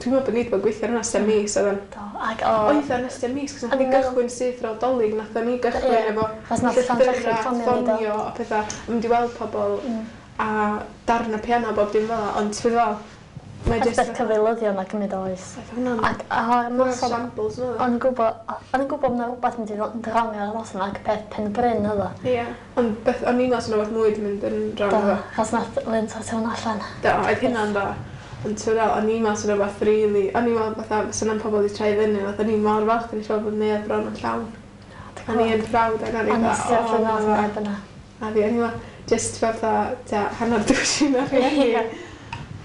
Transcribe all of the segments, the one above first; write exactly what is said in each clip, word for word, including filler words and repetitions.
Dwi'n meddwl bod ni wedi bod yn gweithio ar hwnna ers mis oedd o'n. Do, ac o... Oedd o'n ers mis, cos nath O'n ni i'n meddwl- gychwyn syth ar ôl Dolig, nath ni gychwyn Ie, efo achos nath Llanllechid llythyrau, ffonio ni, do. ffonio a pethau, a mynd i weld pobl Mm. a darn o piano bob dim fel 'a, ond ti'n fel, mae Achos jyst... beth cyfeilyddion a cymryd oes. Oedd hwnna'n... Ac ar y Hwnna'n noson, shambles, nhw. o'n i'n gwybod, o'n i'n gwybod bod rhywbeth mynd i ddod yn wrong ar y noson ac peth Pen Bryn oedd o. Ie, ond beth, o'n i'n meddwl sy'n rhywbeth mwy di mynd yn wrong Do, efo. achos nath Lynn sortio hwnna allan. Do, oedd hynna'n dda. Ond ti'n fel, o'n i'n meddwl sy'n rhywbeth really... O'n i'n meddwl fatha, fysa na'n pobl wedi troi fyny, fatha o'n i'n mor falch o'n i'n siarad bod neuadd bron yn llawn. O'n i yn proud ac o'n A i'n nes i fatha, allan o, nath ma' neb yna. A fi, o'n i'n meddwl, just fatha, tua, hanner dwsin o rhieni. Ie.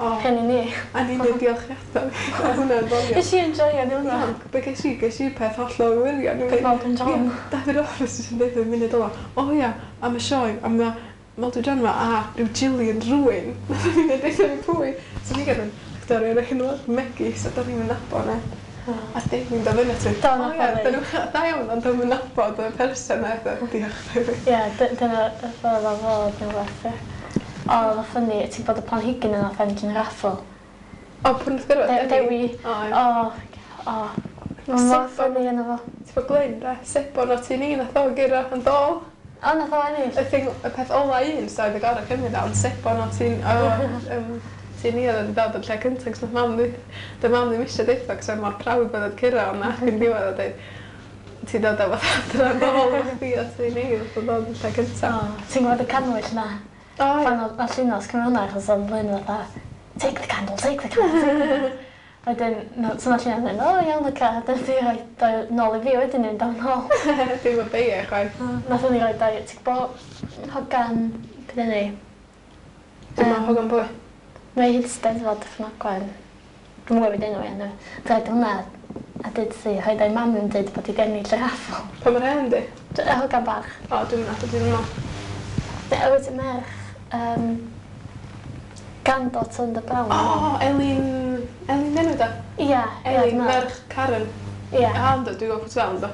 O, Rhieni ni. a ni'n dweud diolchiadau. Oedd hwnna'n ddoniol. Nes i enjoyo ni hwnna. Be ges i, ges i peth hollol wirion. Peth Maldwyn John. Ie, David Roberts yn dweud yn munud ola. O ia, am y sioe, am y Maldwyn John ma, a rhyw Gillian rhywun. Nath o'n i'n dweud fi pwy. So ni gyd yn actorion o'r enw megis, a do'n i'n nabod ne. A David dod fyny at fi. Do, O nath ia, o dyn nhw, da iawn, ond dwi'n nabod y person na, eitha, diolch David. Ie, dy- dyna y ffordd o fod neu rhywbeth. ie. O, oedd o funny, ti'n bod y planhigyn yna ffendio yn raffle. O, pwy nath gyrraedd? De- Dewi. O, ie. O, o. Mae'n mor Sebon. funny yna fo. Ti'n bod Glyn, da? Sebon o ti ni, nath o gyrra yn dôl. O, nath o ennill. Y thing, y peth ola un, so oedd y gorau cymryd ond sebon o ti'n... O, um, ti'n ni oedd wedi dod yn lle cyntaf, cos nath mam di... Dy mam ddim eisiau deutha, cos oedd mor proud bod oedd cyrra, ond nath yn diwedd o dweud, ti'n dod â fatha adra yn ôl efo chdi o ti ni, oedd o'n dod yn lle cyntaf. O, ti'n gwybod y canwyll na? O, ie. Pan oedd oedd Llinos cymryd hwnna, achos oedd Lynn fatha, take the candle, take the candle, take the candle. Wedyn, no, so nath Llinos mynd, o iawn, oce, a wedyn fi rhoi dau nôl i fi wedyn yn dod nôl. Dim yn beia, chwaith. Nath ni roi dau, ti'n gwybod, hogan, beth yni? Dim Yym, yn hogan pwy. Mae hi'n Steddfod Ffynogwen. Dwi'n gwybod beth enw i, anyway. Dwi'n rhaid hwnna a dweud si, rhaid o'i mam yn dweud bod hi 'di ennill y raffl. Pa mor hen di? Y hogan bach. O, dwi'n nabod dwi'n meddwl. Ne, wyt ti merch, um, granddaughter Linda Brown. O, Elin... Elin enw da? Ia, ia, Elin, dwi'n meddwl. merch Karen. Ia. A, ynddo, dwi'n gwybod pwy ti'n fel, ynddo.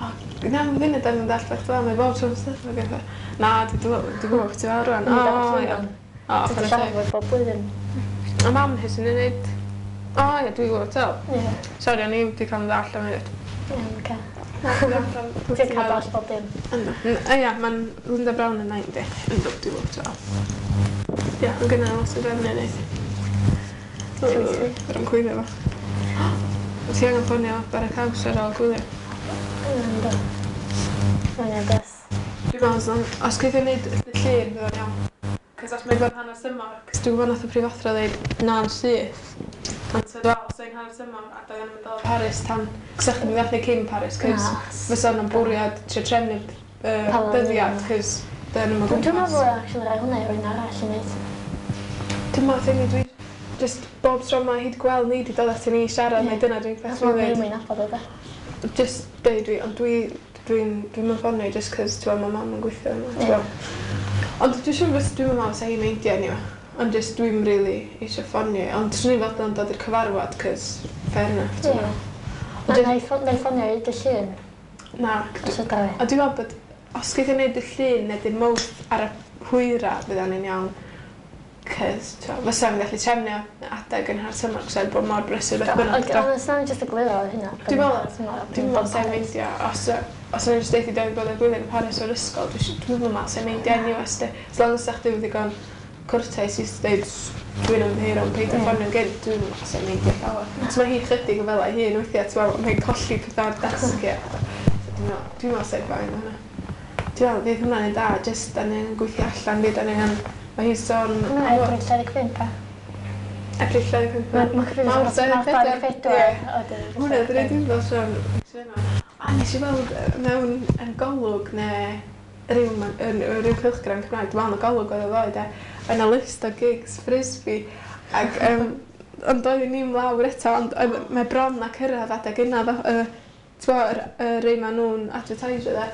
O, na, mae'n funud yn dallt beth fel, mae bob tro'n steddfod ac eitha. Na, dwi'n dwi'n gwybod pwy ti'n fel rwan. O, iawn. O, Ti'n chwarae teg. siarad bob blwyddyn. A mam hi sy'n ei wneud... O, ie, dwi'n gwybod fel. Ie, Sori, o'n i wedi cael yn ddall am hynny. iawn, oce. Ti'n Ti'n cael dall bob dim. Ynddo. N- Ia, mae'n Linda Brown yn nain di. Ynddo, dwi'n gwybod fel. Ia, mae'n gynnu lot o drefnu i wneud. Yr yn gwylio fo. Ti angen ffonio bara caws ar ôl gwylio? Ynddo. Mae'n iawn bys. Dwi'n meddwl, os, os geith ei wneud y llun, fydd o'n iawn. Cos os mae'n bod hanner tymor, cos dwi'n gwybod nath y prifathro ddeud na'n syth. Ond so dwi'n meddwl, os o'n hanner tymor, a doedd o'n mynd o Paris tan... Cos o'ch chi'n mynd cyn Paris, cos Na. fysa yna'n bwriad trio trefnu uh, Pan o'n dyddiad, nhw- cos dyn nhw'n Dwi'n gwmpas. meddwl actually rhoi hwnna i rywun arall i wneud. Dwi'n meddwl, thing dwi just bob tro mae hi wedi gweld ni, wedi dod at ni i siarad, Ie. neu dyna dwi'n Achos peth mae'n dwi'n ddim yn nabod o de. Just deud dwi, ond dwi, dwi'n, dwi'n mynd ffonio just cos, ti'n gwbod, mae mam yn gweithio yma, ti'n Ie. gwbod. Ond dwi'n siŵr fys dwi'n meddwl sa hi'n meindio anyway. Ond just dwi'n really eisiau ffonio. Ond swn i'n fodlon dod i'r cyfarfod, cos fair enough, ti'n Ie. gwbod. Na, na i ffon- na i ffonio i dy llun, Na, os ydw i. a dwi'n meddwl bod os geith ei wneud y llun neu dy Mawrth ar y hwyra, fydd o'n iawn. Cos, ti'n gwbod, fysa fi'n gallu trefnu adeg yn hanner tymor, cos oedd bod mor brysur beth bynnag. Ond ond os nawn ni jyst egluro hynna. Dwi'n meddwl- Dwi'n meddwl sa'n meindio, os, os o'n i'n jyst deud i dweud bod y blwyddyn yn Paris o'r ysgol, dwi'n si- dwi'n meddwl sa'n meindio anyway, sti. As long as sa'ch di ddigon cwrtais i dweud dwi'n ymddiheuro yn peidio Ie. ffonio'n gynt, dwi'n meddwl sa'n meindio llawer. So mae hi chydig yn fel ei hun weithiau, ti'n meddwl, mae'n colli pethau ar dasgu. a pethau. So dwi'n meddwl, dwi'n meddwl sa'n fine hwnna. Dwi'n meddwl, fydd hwnna'n un da, jyst da ni'n gweithio allan, fydd da ni'n... Mae hi'n sôn... Hwnna Ebrill dau ddeg pump, a. Ebrill dau ddeg pump. Mae ma cyfrif Mawrth Mawrth dau ddeg dau ddeg pedwar. Ie. Wedyn Hwnna, dyna dwi'n fel sôn. A nes i weld yy, mewn yn Golwg neu ryw, ma- yn, ryw cylchgrawn Cymraeg, dwi'n meddwl yn y Golwg oedd o ddoe, de, yna list o gigs Frisbee. Ac, um, ond doeddwn ni'm lawr eto, ond oedd, mae bron a cyrraedd adeg yna, ddo, uh, ti'n yr, y rei ma nhw'n advertisio de,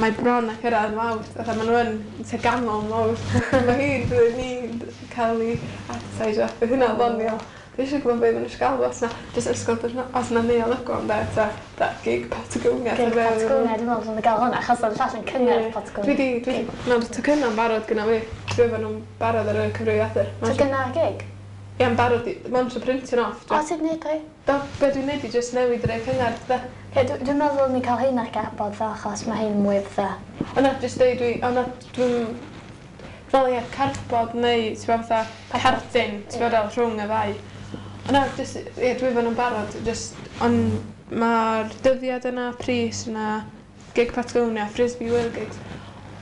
mae bron a cyrraedd Mawrth, fatha ma nhw yn tua ganol Mawrth. Mae hi'n bydd ni'n cael ei advertisio, bydd hynna'n ddoniol. Dwi eisiau gwybod beth maen nhw eisiau galw, os na, jyst ysgol, os na Neuadd Ogwen, de, ta, ta, gig Patagonia. Gig ta be- Patagonia, dwi'n meddwl dwi'n gael hwnna, achos oedd y llall yn cyngerdd Ie. Patagonia. Dwi di, dwi di, mae'r tocynnau'n barod gyda fi. Dwi efo nhw'n barod ar y cyfrifiadur. Tocynnau gig? Ie, yn barod i... Mae'n eisiau printio nhw off. O, ti'n neud rei? Do, be dwi'n neud i just newid yr ei cyngerdd, de. Ie, dwi'n meddwl ni cael hein ar garbod ddo, achos mae hein mwy fatha. O na, just deud dwi... O na, dwi'n... Fel ie, cardboard neu, ti'n gwbod fatha, cardyn, ti'n gwbod fel rhwng y ddau. O na, just, ie, dwi fan yn barod, just, ond mae'r dyddiad yna, pris yna, gig Patagonia, Frisbee World Gigs,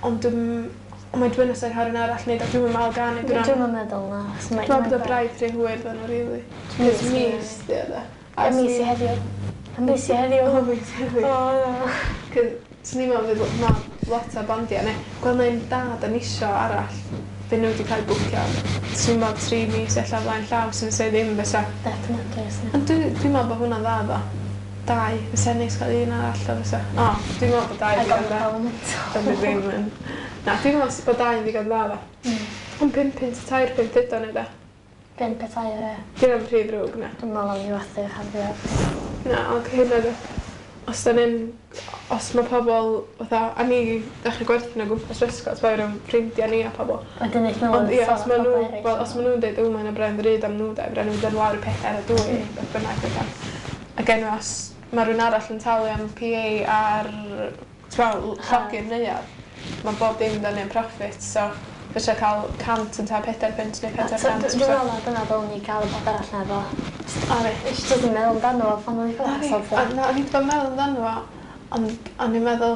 ond dwi'n... Ond mae dwi'n nesaf cael un arall neud, a dwi'n meddwl gan i Dwi'n dwi'n meddwl na. Dwi'n meddwl bod y braidd rhy hwyr dda nhw, really. Cos mis, di o da. A mis i heddiw. A mis i heddiw. O, mis i heddiw. O, na. Cos, swn i'n meddwl fydd ma lot o bandiau, neu gweld neu'n dad yn isio arall, fe nhw wedi cael bwcio. Swn i'n meddwl tri mis ella flaen llaw, sy'n sef ddim fysa. Definitely, swn Ond dwi'n dwi meddwl bod hwnna'n dda, ddo. Dau, fysa neis cael un arall o fysa. O, dwi'n meddwl bod dau ddigon dda. Dwi'n ddim yn... Na, dwi'n meddwl bod dau yn ddigon dda, ddo. Mm. Ond pump punt, tair punt ydo ni, da. Pump a tair, ie. Dwi'n am rhy ddrwg, na. Dwi'n meddwl am i werthu'r rhan fwyaf. Na, ond hyn oedd... Os da ni'n... Os mae pobl, fatha, a ni ddechrau gwerthu nhw gwmpas yr ysgol, ti'n rhywun ffrindiau ni a pobl. Wedyn eich nhw Ond ie, os maen nhw, wel, os maen nhw'n dweud, o, mae'n brand ddrud am nhw, da, brand nhw'n dod lawr i pethau ar y dwy, beth bynnag, beth. Ac enw, os mae rhywun arall yn talu am P A ar, ti'n meddwl, llogi'r neuadd, mae bob dim dan ni'n profit, so fysa cael cant yn ta pedair punt neu pedair cant. Dwi'n meddwl na dyna ddylwn ni gael y peth arall na efo. O, fi. Nes i jyst yn meddwl amdano fo pan o'n i ffwrdd. Na, na, o'n i wedi bod yn meddwl amdano fo, ond o'n i'n meddwl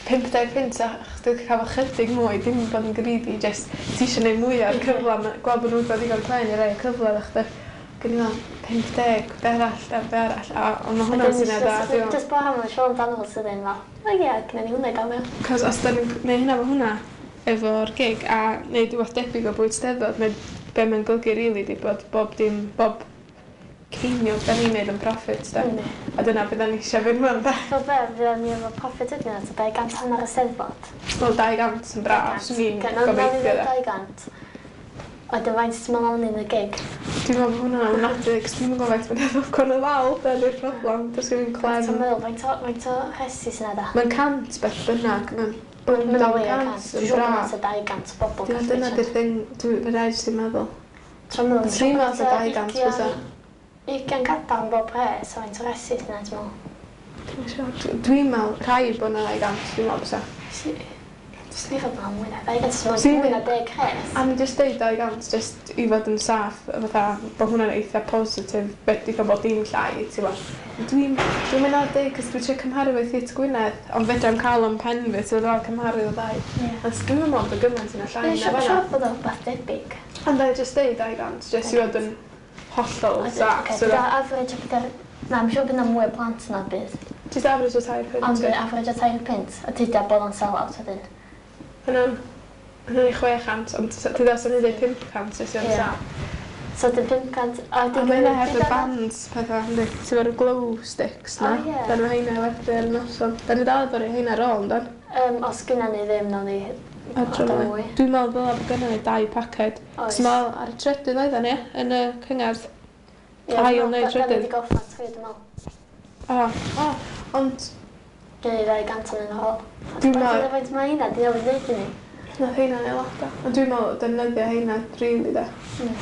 pump deg punt a chdi wedi cael chydig mwy, dim bod yn greedy, just ti eisiau gwneud mwy o'r cyfle, gweld bod nhw'n gweld digon clen i roi y cyfle iddo chdi. Gen i fel pump deg, be arall, da, be arall, a ond mae hwnna'n syniad da. Just bod am yn siarad amdano fo sydd yn fel, o ie, gynna ni hwnna i gael mewn. Cos os da ni'n gwneud hynna efo hwnna, efo'r gig, a neud rhywbeth debyg o bwyd Steddfod, mae be mae'n golygu rili di bod bob dim, bob ceiniog da ni'n neud yn profit, da. Mm. A dyna beth da ni eisiau fynd mewn, da. So be, fydda ni efo profit ydyn nhw, dau gant hanner y Steddfod? Wel, dau gant yn braf, swn i'n gobeithio, da. dau gant. Wedyn faint ti'n meddwl am yn y gig? Dwi'n meddwl bod hwnna'n ofnadwy, cos dwi'n meddwl faint mae'n meddwl gwan y ddal, da, di'r problem. Does gen i'n clem. Ti'n meddwl, faint o, faint o rhesi sy'n da? Mae'n cant beth bynnag, mae'n Mae'n o leia cant, yn braf. Dwi'n dau gant o bobl. Dwi'n dyna di'r thing, dwi'n fe rhaid sy'n meddwl. Dwi'n meddwl, Dwi'n meddwl dau gant fysa. Ugain gadael yn bob res, o faint o resi sy'n dwi'n meddwl. Dwi'n siŵr. Dwi'n meddwl, rhaid bod yna dau gant, dwi'n meddwl fysa. Swn i'n meddwl mwy na dau gant, swn mwy na deg res. A ni jyst deud dau gant, jyst i fod yn saff, fatha, bod hwnna'n eitha positif, beth eitha bod dim llai, ti'n gwbod. Dwi'n dwi'n mynd ar deg, cos dwi'n trio cymharu efo Theatr Gwynedd, ond fedra i'm cael o'n pen fi, so dwi'n cymharu o ddau. Ond dwi'n meddwl bod gymaint yna llai na fan'na. Dwi'n siŵr bod o'n rhywbeth debyg. Ond dau jyst deud dau gant, jyst i fod yn hollol saff. Ocê, dyna average o pethau... Na, I'm siŵr bydd 'na mwy o plant na bydd. Jyst average o tair punt. Ond average o tair punt, a tydi bod o'n sell out wedyn. Hynna'n hynna'n i chwe chant, ond ti ddod sy'n dweud pump cant, jyst i fod yn saff. So dyn pump cant, a A mae hynna heb y bands pethau, yndi? Ti'n efo'r glow sticks na? O ie. Dan mae heina werthu ar y noson. Da ni dal efo'r heina ar ôl, yndan? Um, os gynna ni ddim, nawn ni Adro mwy. Dwi'n meddwl ddyla bod gynna ni dau paced. Oes. Ti'n meddwl ar y trydydd oedden ni, yn y cyngerdd? Ail neu Da ni trydydd. wedi gorffen tri, dwi'n meddwl. O, o, ond Gynna ni ddau gant yn ôl. Dwi'n meddwl- Faint mae heina, di newydd ddeud i ni. Nath heina neu lot o. Ond dwi'n meddwl defnyddio heina rili da. Mm.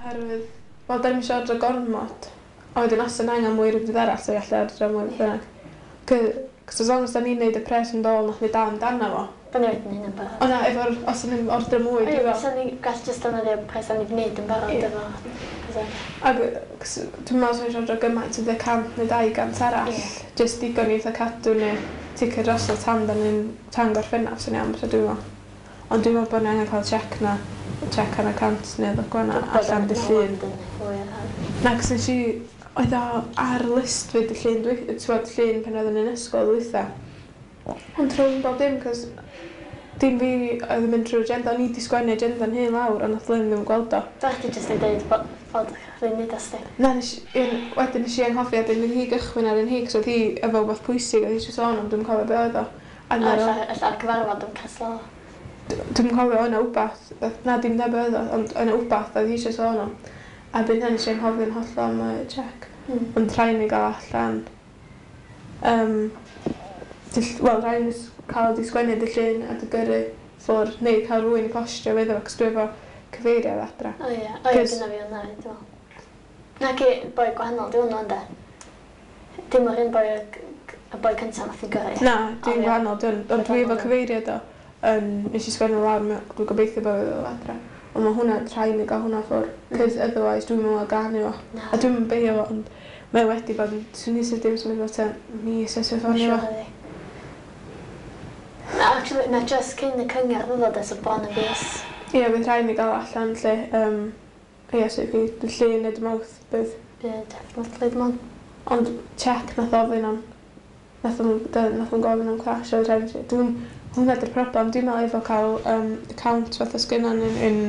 Oherwydd, wel, da ni'n eisiau ordro gormod. A wedyn os yna angen mwy rhywbeth arall, so gallu ordro mwy beth bynnag. Cos as long as da ni'n neud y pres yn dôl, nath ni dal amdano fo. Da ni wedi neud yn barod. O na, efo'r, os yna'n ordro mwy, Ie, dwi'n fel. Fysa ni gallu jyst defnyddio pres da ni wedi neud yn barod Ie. efo. Fysa. Ac, cos dwi'n meddwl swn i'n ordro gymaint, ydy cant neu dau gant arall. Ie. Jyst digon i eitha cadw neu ticed drosodd tan da ni'n tan gorffennaf, sy'n iawn, fysa dwi'n meddwl. Ond dwi'n meddwl bod ni angen cael check na, check ar y cant neu ddog gwana allan dy llun. Na, cos nes i, oedd o ar list fi dy llun, dwi, ti'n gwbod, llun pan oeddwn i'n ysgol dwytha. Ond rhwng bob dim, cos dim fi oedd yn mynd trwy'r agenda, o'n i 'di sgwennu agenda'n hun lawr, ond nath Lynn ddim gweld o. Do chdi jyst yn deud bod bod chdi'n neud asti. Na, nes i, wedyn nes i anghofio, wedyn oedd hi gychwyn ar un hi, cos oedd hi efo wbath pwysig, oedd hi eisiau sôn am, dwi'm cofio be oedd o. A A na, ella ella'r cyfarfod yn canslo. dwi'm cofio o'na wbath, na dim na be oedd o, ond o'na wbath oedd hi eisiau sôn am. A byn hynny nes i anghofio'n hollol am y check. Mm. Ond rhaid ni gael allan, um, wel, rhaid ni cael di sgwennu dy llun a dy gyrru ffwrdd, neu cael rhywun i postio iddo fo, cos dwi efo cyfeiriad adra. O ie, o ie, gynna fi hwnna, dwi'n meddwl. Na ci, boi gwahanol, di hwnnw ynde? Dim o'r un boi, y boi cyntaf nath i'n gyrru. Na, dwi'n gwahanol, dwi'n, ond dwi efo cyfeiriad o, um, nes i sgwennu lawr, dwi'n gobeithio bod fi adra. Ond mae hwnna, rhaid i mi gael hwnna ffwrdd, cos otherwise dwi'n meddwl ganu fo. A dwi'n mynd beio fo, ond mae wedi bod yn, swn i sydd dim symud fo tua mis ers i ffonio fo. Na, actually, na just cyn y cyngerdd oedd o de, so bron y fis. Ie, bydd rhaid i mi gael allan lle, um, ie, so fi, dy Llun neu dy Mawrth, bydd. Ie, definitely, dim ond. Ond check nath ofyn am, nath o'n nath o'n gofyn am clash, oedd rhaid i mi, dwi'n, hwnna di'r problem, dwi'n meddwl efo cael um, account fatha sgynnon yn, yn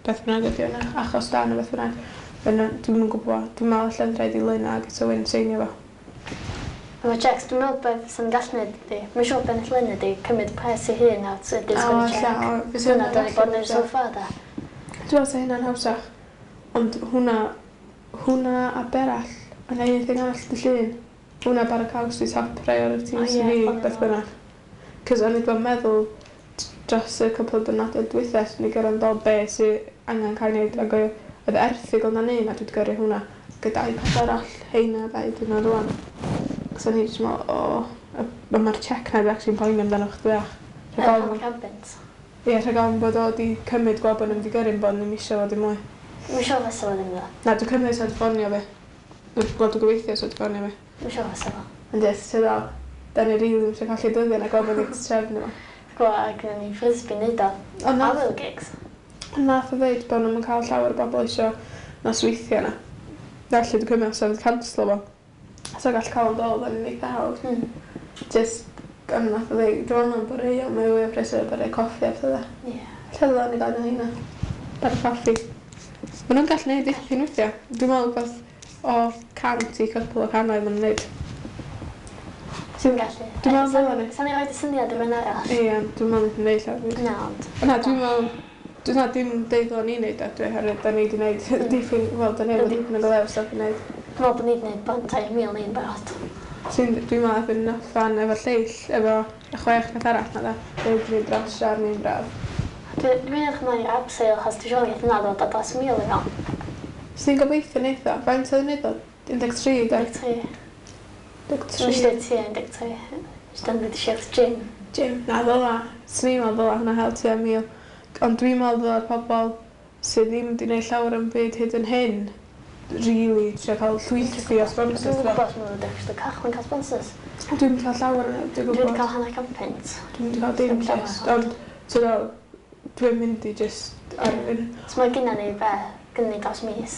beth bynnag ydi hwnna, achos da neu beth bynnag. Yna, dwi'm yn gwybod, dwi'n meddwl allan rhaid i Lynna ag eto Wyn seinio fo. Efo checks, dwi'n meddwl beth sy'n gallu neud ydi, mae'n siŵr beth Lynn ydi cymryd pres i hun a ydi sgwennu check. Dyna da ni bod yn neud so far da. Dwi'n meddwl sa hynna'n hawsach, ond hwnna, hwnna a berall, yna un thing arall dy Llun. Hwnna bara caws di top priorities oh, yeah, fi, beth bynnag. Cos o'n i wedi bod yn meddwl dros y cwpl o diwrnodau dwytha, so ni gyrra'n dod be sy angen cael ei wneud, ac oedd erthygl na'n un a dwi wedi gyrru hwnna gyda iPad arall, heina ddau dyn rwan. Cos o'n i jyst meddwl, o, mae'r check na dwi actually'n poeni amdano chdi bach. Rhag ofn. Ie, rhag ofn bod o wedi cymryd gweld bod nhw'n wedi gyrru bod nhw'n isio fo dim mwy. Mae'n siŵr fysa fo ddim ddo. Na, dwi'n cymryd sa wedi ffonio fi. Wel, dwi'n gobeithio sa wedi ffonio fi. Mae'n siŵr fysa fo. Ond yes, ti'n dal, da ni rili ddim eisiau colli dyddiau na gweld bod ni wedi trefnu fo. Gwa, gyda ni frisbee neud o. Ond nath... Awyl gigs. Ond nath o ddeud bod nhw'n cael llawer o bobl eisiau nosweithiau na. Felly dwi'n cymryd os oedd canslo fo. So gall cael yn dod yn eitha hawdd. Mm. Just, ond nath o ddeud, dwi'n meddwl bod rei, ond mae fwy o prysur bod rei coffi a pethau. Ie. Yeah. Lle ddylen ni gael hynna? Bara coffi. Maen nhw'n gallu neud dipyn weithiau. Dwi'n meddwl beth o cant i cwpl o cannoedd maen nhw'n neud. Ti'n gallu. Dwi'n meddwl ddylen ni. Sa'n i roed y syniad i rhywun arall? Ie, dwi'n meddwl yn neud llawer. Na, ond... Na, dwi'n meddwl... Dwi'n meddwl dim deud ddylen ni neud o, dwi oherwydd da ni wedi neud dipyn... Wel, da ni efo dipyn o golew stuff i neud. Dwi'n meddwl bod ni wedi neud bron tair mil ni'n barod. Dwi'n meddwl erbyn noson efo lleill, efo y chwech peth arall na da. Da ni wedi neud dros siar ni'n braf. Dwi'n edrych ymlaen i'r abseil, achos dwi'n siŵr geith yna ddod o dros mil i fewn. Swn i'n gobeithio neith o. Faint oedd yn neud o? un deg tri, da? un deg tri. un deg tri. Dwi'n dweud tua un deg tri. Dwi'n dweud eisiau gym. Gym, na ddyla. Swn i'n meddwl ddyla hwnna hel tua mil. Ond dwi'n meddwl ddyla'r pobl sydd ddim wedi gwneud llawer yn byd hyd yn hyn really trio cael llwythi o sponsors. Dwi'n gwybod os maen nhw'n dechrau cychwyn cael sponsors. Dwi'n cael llawer yn dwi'n gwybod. Dwi wedi cael hanner can punt. Dwi'n wedi cael dim just, ond so, dwi'n mynd i just ar un. So mae gynna ni be, gynna ni dros mis.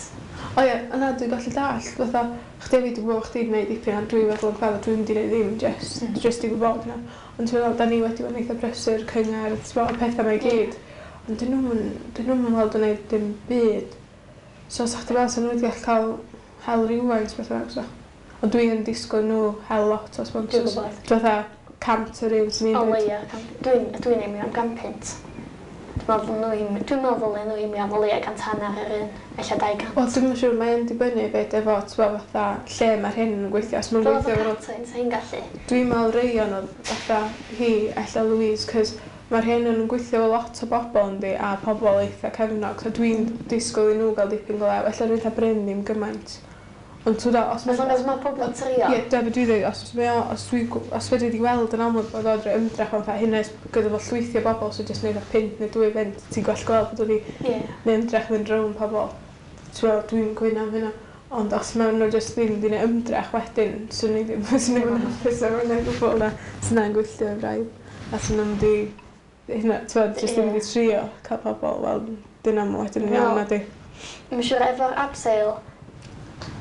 O ie, yna dwi'n gallu dallt, fatha, chdi fi dwi'n gwybod chdi wedi gwneud dipyn, ond dwi'n feddwl yn clefyd, dwi'n wedi gwneud ddim, just, mm. just i gwybod yna. Ond ti'n meddwl, da ni wedi bod yn eitha prysur, cyngerdd, ti'n meddwl, pethau mae i gyd. Ond dyn nhw'n weld yn gwneud dim byd. So, sa chdi fel, sa nhw wedi gallu cael hel rhywfaint, beth bynnag, so. Ond dwi yn disgwyl nhw hel lot o sponsors. Dwi'n gwybod. Dwi'n fatha cant yr un sy'n ni'n O leia, dwi'n dwi'n aimio am gan punt. Dwi'n meddwl nhw dwi'n meddwl nhw aimio am o leia cant hanner yr un, ella dau gant. Wel, dwi'm yn siŵr, mae'n dibynnu fyd efo, ti'n fatha, lle mae'r hyn yn gweithio. Os mae'n gweithio efo... Fel sa hi'n gallu. Dwi'n meddwl Rayon oedd fatha hi, ella Louise, cos mae'r hyn yn gweithio efo lot o bobl yndi, a pobl eitha cefnog, so dwi'n disgwyl i nhw gael dipyn go lew. Ella rwy'n eitha Bryn ddim gymaint. Ond ti'n dod, os mae... As long as mae pobl yn trio. Ie, dyna beth dwi'n dweud, os mae o, os dwi, os fedri di weld yn amlwg bod o'n rhoi ymdrech o'n fatha hynna gyda fo llwythi o bobl sy'n jyst neud o punt neu dwy bunt, ti'n gwell gweld bod wedi yeah. neud ymdrech fynd rownd pobl. Ti'n gweld, dwi'n gwyno am hynna. Ond os maen nhw jyst ddim wedi neud ymdrech wedyn, swn i ddim, swn i ddim yn hapus efo hynna gwbl na. Swn i'n gwylltio yn braidd. A swn i'n mynd i, hynna, ti'n gweld, jyst ddim wedi trio cael pobl, wel, dyna mo wedyn yn iawn na di. Mae'n siŵr efo'r abseil,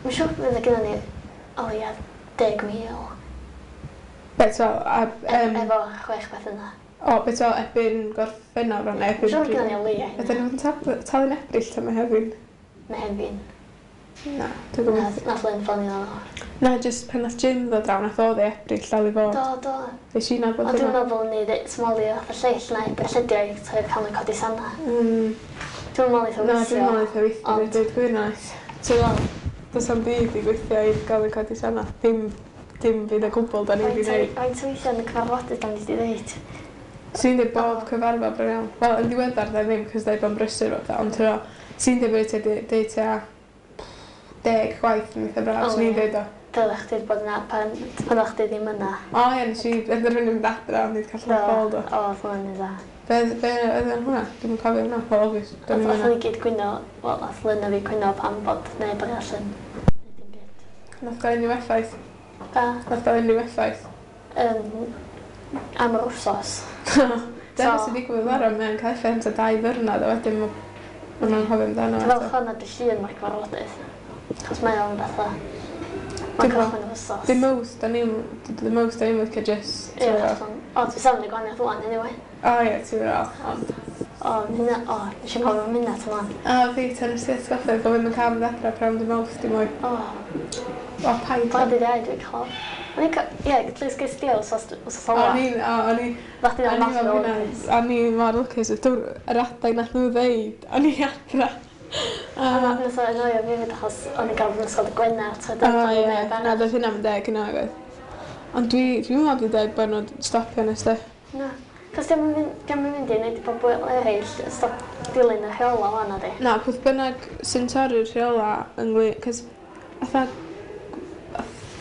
mae'n siŵr fydd y gynna ni o leia deg mil. Beth o, a... Um, efo chwech beth yna. O, beth o, erbyn Gorffennaf rhan, erbyn... Mae'n siŵr gynna ni o leia hynna. Ydyn nhw'n talu'n Ebrill ta Mehefin? Mehefin. Na, dwi'n gwybod. Nath Lynn ffonio nhw. Na, jyst pan nath Jim ddod draw, nath o ddi Ebrill dal i fod. Do, do. Nes i nabod hynna. Ond dwi'n meddwl ni smolio fatha lleill na Ebrill ydi o i trio cael nhw'n codi sanna. Mm. Dwi'n meddwl eitha weithio. Na, dwi'n meddwl eitha weithio, dwi'n dweud gwir nice. Ti'n meddwl, does am byd i gweithio i gael yn codi sanna. Dim, dim byd o gwbl da ni wedi gwneud. Faint o weithio yn y cyfarfodydd da ni wedi dweud? Sy'n dweud bob O. cyfarfod bron iawn. Wel, yn ddiweddar dda ddim, cos dweud bod yn brysur o fatha, ond ti'n sy'n dweud bod ti deud tua deg gwaith yn eitha braf, O, swn i'n ie. deud o. Dylech chdi bod yna pan, pan o'ch chdi ddim yna. O ie, nes i benderfynu mynd adra, ond i wedi cael Do. llawn ffôl do. O, oedd hwnna'n dda. Be, be oedd yn hwnna? Dwi'n cofio hwnna. Wel, obvious, dwi'n Oedd hwnna. ni gyd gwyno, wel, oedd Lynn a fi gwyno pan bod neb arall yn neud dim byd. Nath gael unrhyw effaith. Ba, Nath gael unrhyw effaith. um, am yr wsos. Dyna So- sy'n digwydd ar mae'n cael effaith am tua dau ddwrnod, a wedyn ma' ma' nhw'n cofio amdano. Dwi'n eto. falch hwnna dy llun mae'r cyfarfodydd. Chos mae o'n fatha... Mae'n Dim- cychwyn yr wsos. The most, da ni'n, the most da ni'n licio just, Ie, ti'n gwbod. hollol. O, dwi'n safon y gwahaniaeth ŵan, anyway. O ie, ti'n gwbod, ond. O, hynna, o, nes i'n cofio am hynna tan A fi, tan ys ti atgoffa, bod fi'n cael mynd adra prynhawn dy Mawrth, dim mwy. O, O, paid. pa dydd Iau dwi'n cael. O'n i'n ca- ie, at least ges di wsos wsos ola. O'n i'n, o, o'n i, Fach di o'n o'n i math fel o hynna, o'n i mor lwcus, yr adeg nath nhw ddeud, o'n i adra. A A, nath o annoio fi hefyd achos o'n i'n gael fy ysgol dy Gwener, so o dyna ie, neb na, arall. doedd hynna'n deg yna, oedd. Ond dwi, dwi'n meddwl dwi'n deg bod nhw'n stopio nes di. Na. Cos diolch yn mynd, diolch yn mynd i wneud i bobl eraill stop dilyn y rheola wan, ydi. Na, peth bynnag sy'n torri'r rheola ynglyn, cos fatha,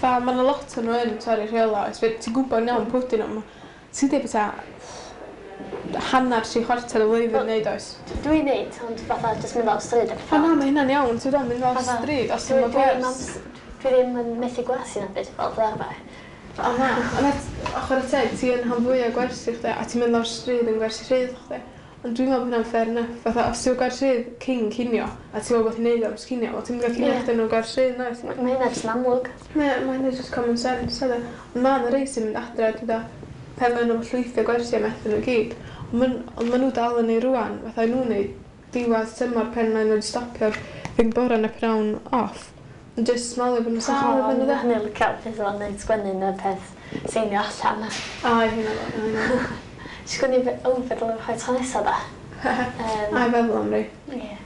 fatha, ma' 'na lot o nhw yn torri'r rheola, oes, fe- ti'n gwybod yn iawn pwy dyn nhw, ma- ti'n deud beth hanner tri chwarter y flwyddyn Wel, neud oes. Dwi'n neud, ond fatha jyst mynd lawr stryd ac O na, mae hynna'n iawn, ti'n dod mynd lawr Fatha, stryd, os ti'n Dwi, dwi, ddim gwers. ams- dwi ddim yn methu gwersi na beth fel fel arfer. O na, ond et- ochr y teg, ti yn rhan fwy o gwersi chdi, a ti'n mynd lawr stryd yn gwersi rhydd chdi. Ond dwi'n meddwl bod hynna'n fair enough. Fatha, os ti'n gwers rhydd cyn cinio, a ti'n meddwl bod ti'n neud o am cinio, wel ti'n mynd gael cinio Ie. chdi nhw'n gwers rhydd, noes? Mae ma hynna jyst yn amlwg. Mae ma hynna just common sense, ydy. Ond ma' 'na rei sy'n mynd adre, dwi'n dweud, pan maen nhw'n llwythio gwersi a methu nhw gyd. Ond ma'n- ond maen nhw dal yn ei rwan, fatha nhw'n neud diwedd tymor pen maen nhw'n stopio'r thing bore na pnawn off. Ond just smalio bod nhw'n sâl efo nhw de. Hynny'n licio peth o'n neud sgwennu yn y peth seinio allan. A, hynna fo, hynna. Sgwennu fe, o, fe dylai rhoi tro nesa da. Yym, A i feddwl am rei. Ie.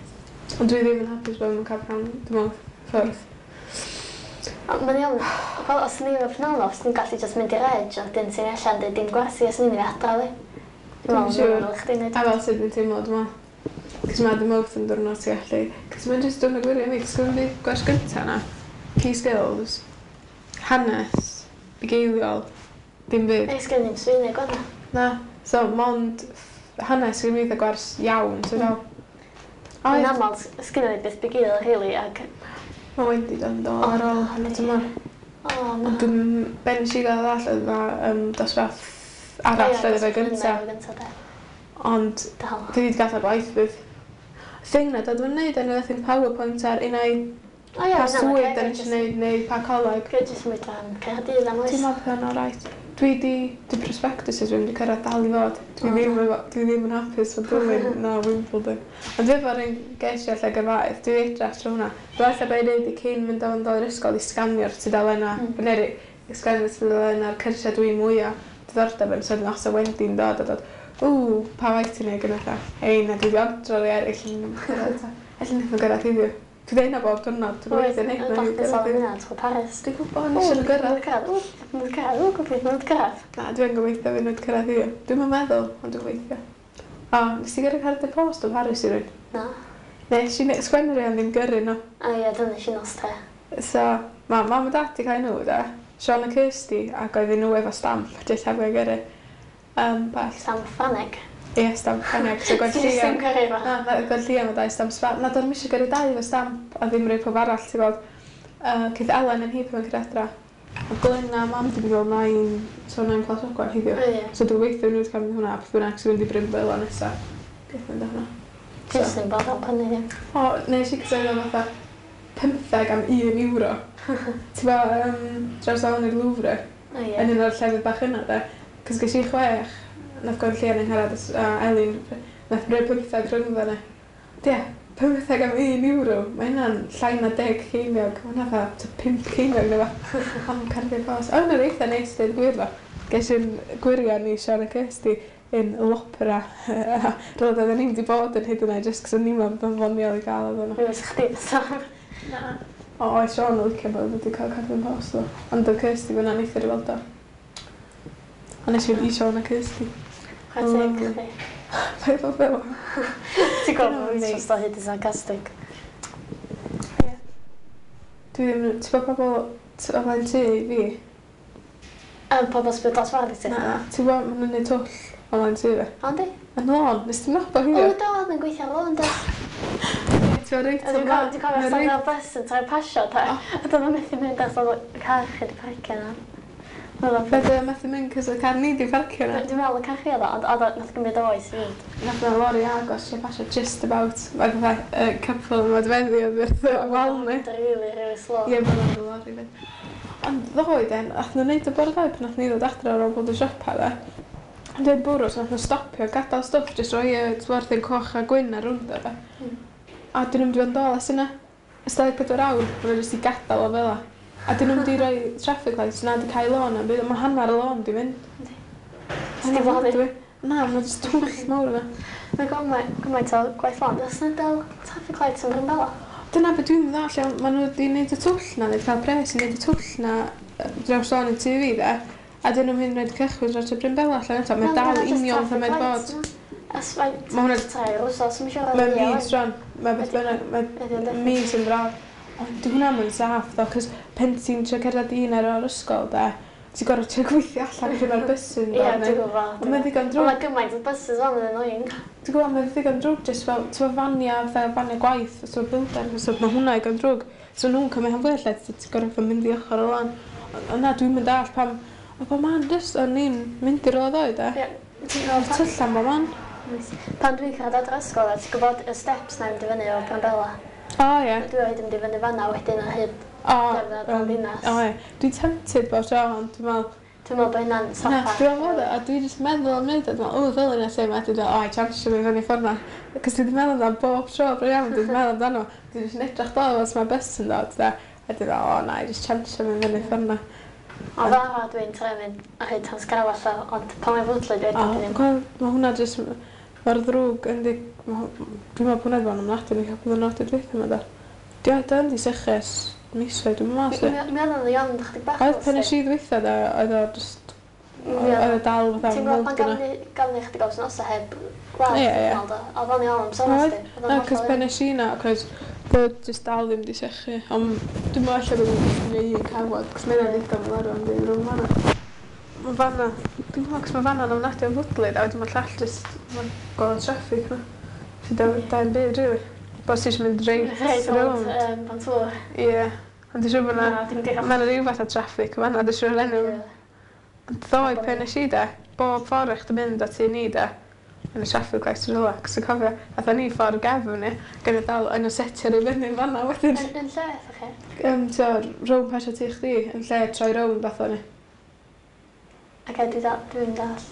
Ond dwi ddim yn hapus bod nhw'n cael pnawn, dwi'n meddwl, ffwrdd. Ond mae'n iawn, wel, os ni efo pnawn off, ni'n gallu just mynd i'r edge, a dyn sy'n allan dweud dim gwersi, os ni'n mynd adra, li. Dwi'n siŵr. Chdi'n neud. A fel sut dwi'n teimlo, dwi'n meddwl. Cos mae dy Mawrth yn diwrnod ti gallu... Cos mae'n just diwrnod gwirion i fi, cos gwrdd fi gwers gynta na. Key skills, hanes, bugeiliol, dim byd. Ei, sgen i'n Swyddeg o'na. Na, so mond ff- hanes sy'n mynd gwers iawn, ti'n fel. O, Yn ie, aml, sgen i byth bugeil, really, ac... mae Wendy dod yn dod ar ôl hanner tymor. O, na. Ond dwi'n ben nes i gael ddall oedd na um, dosbarth arall oedd efo gynta. Gynta, de. Ond Dal. dwi wedi gadael gwaith fydd. Thing na, dod o'n neud yn y thing PowerPoint ar un ai O ie, pa na, swydd da ni eisiau neud neu pa coleg. Gwyd jyst mynd am Caerdydd am oes. Ti'n meddwl bod hwnna'n alright? Dwi di, di prospectuses dwi'n di cyrraedd dal i fod. Dwi O, ddim, efo- dwi ddim yn hapus fod Dulyn na Wimbledon. Ond dwi efo'r un geisio lle gyrfaoedd, dwi wedi edrych trwy hwnna. Dwi'n ella be i wneud i cyn mynd o'n dod i'r ysgol i sganio'r tudalennau, mm. neu sganio'r tudalennau'r cyrsiau dwi'n mwyaf diddordeb yn, so wedyn os o Wendy'n dod a dod, ww, pa waith ti'n neud gyda lla? Hei, na dwi wedi ordro i eraill yn cyrraedd. ta. Ella wnaeth nhw gyrraedd heddiw. Dwi'n deud hynna bob diwrnod, dwi'n gobeithio wneud nhw Dwi'n gyrraedd sôn heddiw. hynna trwy Paris. Dwi'n gwybod, nes i'n gyrraedd. Gyrraedd. Ww, nhw'n cyrraedd. Ww, gobeithio nhw'n cyrraedd. Na, dwi'n gobeithio fydd nhw wedi cyrraedd heddiw. Dwi'm yn meddwl, ond dwi'n gobeithio. O, nes i gyrru cerdyn post o Paris i rywun? Na. Nes i ne- sgwennu rei ond ddim gyrru nhw. A ie, dyna nes i nos te. So, ma' mam a dad di cael nhw, de. Sean a Kirsty, ac oedden nhw efo stamp, jyst heb gael gyrru. Um, bell. Stamp Ffrangeg. Ie, stamp Ffrangeg. So, Ti jyst Gwenllian. ddim gyrru fo. Na, na, Gwenllian o dau stamp Sbaen. Na, do'n i'm eisiau gyrru dau efo stamp, a ddim rhoi pob arall, ti'n gweld. Uh, Ceith Ellen yn hi pan mae'n cyrraedd adra. A Glenn a mam di mynd fel nain, so nain Plas Ogwen heddiw. O, ie. So dwi'n gobeithio nhw wedi cael mynd hwnna, a beth bynnag sy'n mynd i Bryn Bela nesa. Gobeithio mynd â hwnna. Ti jyst ddim bod am prynu ddim. O, nes i cysylltu fatha pymtheg am un euro. Ti'n bo, um, dros lawr i'r Louvre, O ie. yn un o'r llefydd bach yna, de. Cos ges i chwech, nath Gwenllian yn Ngharad a Elin, nath rhoi pymtheg rhyngddo ni. Ie, pymtheg am un euro, mae hynna'n llai na deg ceiniog. Mae hynna fatha tua pump ceiniog neu fath. Am cerdyn post. O, hynna'n eitha neis, dweud gwir ddo. Ges i'n gwirion i Sian a Kirsty yn l'opera. Roedd oedden ni'n wedi bod yn hyd yn oed, jyst cos o'n i'n meddwl bod o'n foniol i gael oedden nhw. Mi fysa chdi fysa. Na. O, oedd Sian yn licio bod wedi cael cerdyn post ddo. Ond oedd Kirsty fyna neithiwr i weld o. Ond nes i fynd i Sian a Kirsty. Chwarae teg chdi. Paid bod fel. Ti'n gwybod bod fi'n just o hyd yn sarcastic. Ie. Dwi ddim... Ti'n gwybod pobl o flaen tŷ i fi? Um, pobl sbio dros ffordd i ti? Na, ti'n gwybod, maen nhw'n neud twll o flaen tŷ fi. O, yndi? Yn lôn, nes ti'n nabod O, hi? do, oedd yn gweithio ar lôn, do. Ti'n gwybod reit Dwi'n o cofio dwi'n cofio Mae os reit- oedd bus yn troi pasio, da. A doedd o'n methu mynd achos oedd y car chi wedi parcio yna. Oedd o'n- Be dy methu mynd cos y car ni di parcio yna. Dwi'n meddwl y car chi oedd o, ond oedd o, nath gymryd oes i fynd. Nath na lori agos lle pasio just about. Mae fatha y couple yn modfeddi oedd wrth y wal ni. Oedd really, really slow. Ie, bod o'n lori fynd. Ond ddoe den, nath nhw neud y bore ddoe pan nath ni ddod adre ar ôl bod yn siopa dde. Ond dwi'n bwrw, so nath nhw stopio, gadael stwff, jyst rhoi y twerthyn coch a gwyn ar rwnd o fe. Mm. A dyn nhw'n mynd i fod yn dol ers yna. Ers dau ddeg pedwar awr, maen nhw jyst i gadael o fel 'a. A dyn nhw'n mynd i roi traffic lights na di cael lôn am byd, mae hanner y lôn di mynd. Yndi. Sti lonydd. Na, mae'n jyst twll mawr yna. Mae gymaint, gymaint o gwaith lôn. Does yna dal traffic lights yn Brynbella? Dyna beth dwi'n ddall, iawn, maen nhw wedi gwneud y twll na, neu cael pres i wneud y twll na yy, draws lôn i tŷ fi de. A dyn nhw'n mynd rhaid cychwyn dros y Brynbella allan eto. Mae'n dal union fatha mae'n bod. Ers mae Ma' hwnna- tair wsos, mae'n siŵr Mae'n mis rwan. Mae beth bynnag, mae Ydi o'n definite. mis yn braf. Ond di hwnna mae'n saff ddo, cos pen ti'n trio cerdded un ar o'r ysgol de, ti'n gorfod trio gweithio allan pryd mae'r bus yn Ie, dod. dwi'n neu- gwybod. Ond mae'n ddigon Ond drwg. mae gymaint o buses o'n yn annoying. Ti'n gwybod, mae'n ddigon drwg, jyst fel, ti'n gwybod, fania, fel fania gwaith, so builder, so mae hwnna igon drwg. So nhw'n cymryd han fwy lle, ti'n gorfod mynd i ochr o lan. Ond na, dwi'n mynd all pam, o bo man, jyst, o'n i'n mynd i'r roedd oed, e. Ie. Ti'n O'r gwybod, tyllan bo man. pan dwi'n cyrraedd adre ysgol, a ti'n gwybod y steps na i mynd i fyny o Brynbella. O, ie. Dwi o hyd yn mynd i fyny fanna wedyn ar hyd O, gerdded o'n ddinas. O, ie. Dwi'n tempted bob tro, ond dwi'n meddwl, Dwi'n meddwl bod hynna'n na, saffach. dwi'n meddwl, a dwi'n just meddwl am wneud o, dwi'n meddwl, o, ddylwn i lle ma, dwi'n meddwl, o, I chansio mi fyny ffordd na. Cos dwi'n meddwl amdano bob tro, bro iawn, dwi'n meddwl amdano. Dwi'n just yn edrych dol os mae bus yn dod, da. A dwi'n meddwl, o, na, i just chansio mi fyny ffordd na. Ond fel arfer dwi'n trio mynd ar hyd Llonscarafell, ond pan mae'n fwdlyd O, wedyn dwi ddim. gweld, mae hwnna just, mae'r ddrwg yn di, ma' dwi'n meddwl bod hwnna wedi bod yn ofnadwy yn y cwpl o ddwrnodau dwytha yma, da. Di o, da di sychu ers misoedd, dwi'n meddwl, Mi mi oedd o'n iawn chydig bach. Oedd pen nes i ddwytha, da, oedd o just, oedd o dal fatha Ti'n gwybod pan mold gafon yna. ni gafon ni chydig o wythnosau heb glaw, Ie, ie. dwi'n meddwl, do. Oedd o'n iawn am sôn Oedd. sti. Oedd o'n Na, cos hollol pen iawn. nes i na, cos bod just dal ddim di sychu. Ond dwi'n meddwl ella bod nhw'n jyst yn gwneud un cawod, cos mae'n ddigon fel arfer yn ddim rhwng fanna. Mae fanna, dwi'n meddwl, cos mae fanna'n ofnadwy o fwdlyd, a wedyn mae llall just, mae'n gorfod traffic na. So da, da yn byd, really. Bod ti eisiau mynd reit Reit rownd, rownd. yym, Bantŵr. Ie. Ond dwi'n siŵr bod Na, na, dim digon. mae 'na ryw fath o traffic fanna, dwi'n siŵr enw. Ond ddoe pen nes i de, bob ffordd eich mynd at ni de, yn y traffic lights yn rhywle, cos dwi'n cofio, atho ni ffordd gefn ni, gan y dal yn y setio i fyny fanna wedyn. Yn yn lle, ydych chi? Um, so, rownd pasio ti chdi, yn lle troi rownd fath o'n ni. Ac dwi dal, dwi'n dall.